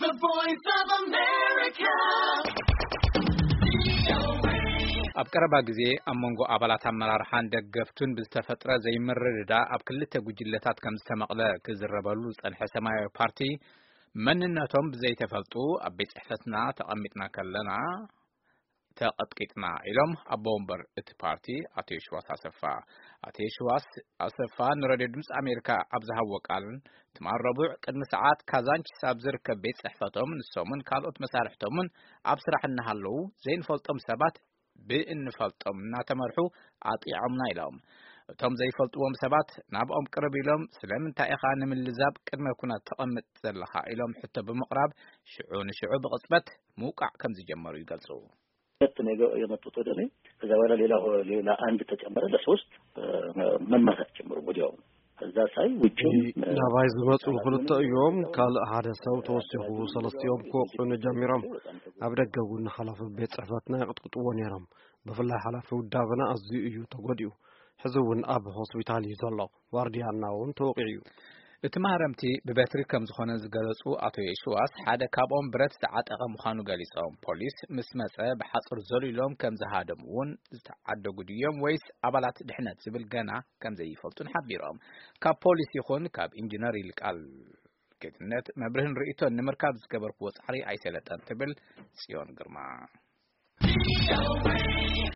The Voice of America. ኣብ ቀረባ ግዜ ኣብ መንጎ ኣባላት ኣመራርሓን ደገፍቱን ብዝተፈጥረ ዘይምርድዳ ኣብ ክልተ ጉጅለታት ከም ዝተመቕለ ክዝረበሉ ዝጸንሐ ሰማያዊ ፓርቲ፣ መንነቶም ብዘይተፈልጡ ኣብ ቤት ጽሕፈትና ተቐሚጥና ከለና ተቐጥቂጥና ኢሎም ኣቦ ወንበር እቲ ፓርቲ ኣቶ የሽዋስ ኣሰፋ። ኣቶ የሽዋስ ኣሰፋ ንሬድዮ ድምፂ ኣሜሪካ ኣብ ዝሃብዎ ቃል፣ ትማል ረቡዕ ቅድሚ ሰዓት ካዛንቺስ ኣብ ዝርከብ ቤት ጽሕፈቶም ንሶምን ካልኦት መሳርሕቶምን ኣብ ስራሕ እናሃለዉ ዘይንፈልጦም ሰባት ብእንፈልጦም እናተመርሑ ኣጥቂዖምና ኢሎም። እቶም ዘይፈልጥዎም ሰባት ናብኦም ቅርብ ኢሎም፣ "ስለምንታይ ኢኻ ንምልዛብ ቅድመ ኩናት ተቐምጥ ዘለኻ?" ኢሎም ሕቶ ብምቕራብ ሽዑ ንሽዑ ብቕጽበት ምውቃዕ ከም ዝጀመሩ ይገልጹ። ሁለት ነው የገ- የመጡት ወደ እኔ። ከዛ በኋላ ሌላ ሆ- ሌላ አንድ ተጨመረ፣ ለሶስት መማታት ጀመሩ ወዲያው። ከዛ ሳይ ውጭም ናባይ ዝመፁ ክልተ እዮም። ካልእ ሓደ ሰብ ተወሲኹ ሰለስቲኦም ክወቕዑኒ ጀሚሮም። ኣብ ደገ እውን ሓላፊ ቤት ፅሕፈትና ይቕጥቅጥዎ ነይሮም። ብፍላይ ሓላፊ ውዳበና ኣዝዩ እዩ ተጎዲኡ። ሕዚ እውን ኣብ ሆስፒታል እዩ ዘሎ። ዋርድያና እውን ተወቒዑ እዩ። እቲ ማህረምቲ ብበትሪ ከም ዝኾነ ዝገለጹ ኣቶ የሽዋስ፣ ሓደ ካብኦም ብረት ዝዓጠቐ ምዃኑ ገሊጾም። ፖሊስ ምስ መጸ ብሓጹር ዘሊሎም ከም ዝሃደሙ እውን ዝተዓደጉ ድዮም ወይስ ኣባላት ድሕነት ዝብል ገና ከም ዘይፈልጡን ሓቢሮም። ካብ ፖሊስ ይኹን ካብ ኢንጂነር ይልቃል ጌትነት መብርህን ርእይቶን ንምርካብ ዝገበርክዎ ጻዕሪ ኣይሰለጠን ትብል ጽዮን ግርማ።